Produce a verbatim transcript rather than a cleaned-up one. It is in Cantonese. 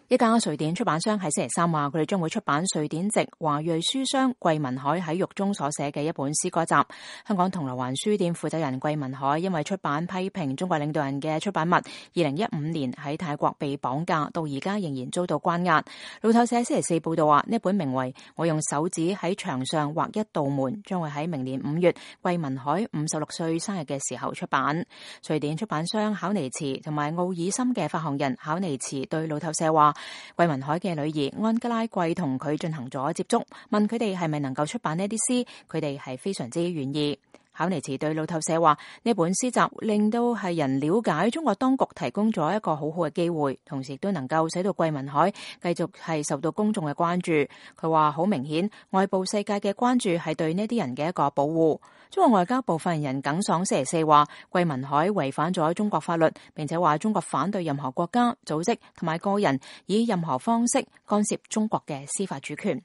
一家瑞典出版商喺星期三話，佢哋將會出版瑞典籍華裔書商桂民海喺獄中所寫嘅一本詩歌集。香港銅鑼灣書店負責人桂民海因為出版批評中國領導人嘅出版物，二零一五年喺泰國被綁架，到而家仍然遭到關押。路透社星期四報道話，呢本名為《我用手指喺牆上畫一道門》，將會喺明年五月桂民海五十六歲生日嘅時候出版。瑞典出版商考尼茨同埋奧爾森嘅發行人考尼茨對路透社話，桂民海嘅女兒安吉拉桂同佢進行咗接觸，問佢哋係咪能夠出版呢啲詩，佢哋係非常之願意。考尼茨對路透社話，呢本詩集令到係人了解中國當局提供咗一個好好嘅機會，同時亦都能夠使到桂民海繼續係受到公眾嘅關注。佢話好明顯，外部世界嘅關注係對呢啲人嘅一個保護。中國外交部發言人耿爽星期四話，桂民海違反咗中國法律，並且話中國反對任何國家、組織同埋個人以任何方式干涉中國嘅司法主權。